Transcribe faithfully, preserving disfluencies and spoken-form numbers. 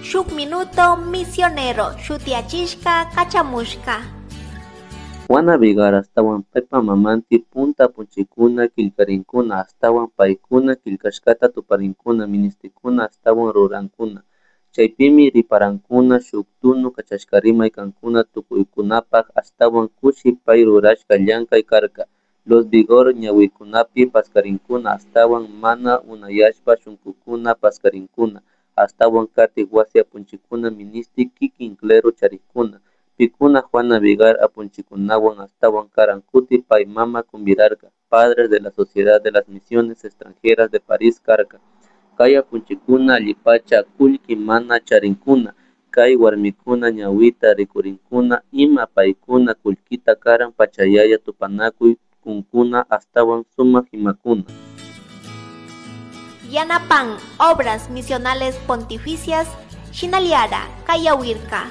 Shuk Minuto Misionero shutiyachishka kachamushka. Juana Vigar ashtawan paypa mamanti punta apunchikuna killkarinkuna ashtawan paykuna killkashkata tuparinkuna ministikuna ashtawan rurankuna chaypimi riparankuna shuk tunu kachashkarimay kankuna tukuykunapak ashtawan kushi pay rurashka llankay karka. Los Vigor ñawikunapi paskarinkuna ashtawan mana unayashpa shunkukuna paskarinkuna ashtawan katik wasi apunchikuna ministi kikin clero charikkuna pikuna Juana Vigar apunchikunawan ashtawan karan kuti pay mama kumbirarka Padres de la Sociedad de las Misiones Extranjeras de París karka. Kay apunchikuna allipacha kullki mana charinkuna kay warmikuna ñawita rikurinkuna ima paykuna kullkita karan pachayaya tupanakuy kunkuna ashtawan sumak imakuna. Yanapan Obras Misionales Pontificias Shinaliara Kayawirka.